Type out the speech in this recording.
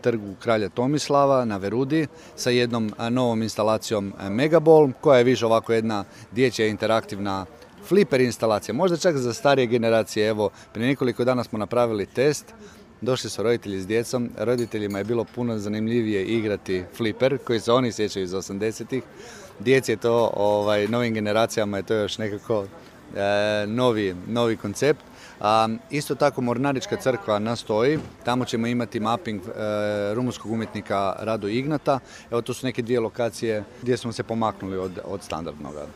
trgu Kralja Tomislava na Verudi sa jednom novom instalacijom Megaball, koja je više ovako jedna dječja interaktivna fliper instalacija, možda čak za starije generacije. Evo, prije nekoliko dana smo napravili test, došli su roditelji s djecom, roditeljima je bilo puno zanimljivije igrati fliper, koji se oni sjećaju iz 80-ih. Djeci je to, novim generacijama je to još nekako novi koncept. Isto tako Mornarička crkva nastoji, tamo ćemo imati mapping rumunskog umjetnika Radu Ignata. Evo, to su neke dvije lokacije gdje smo se pomaknuli od standardnoga.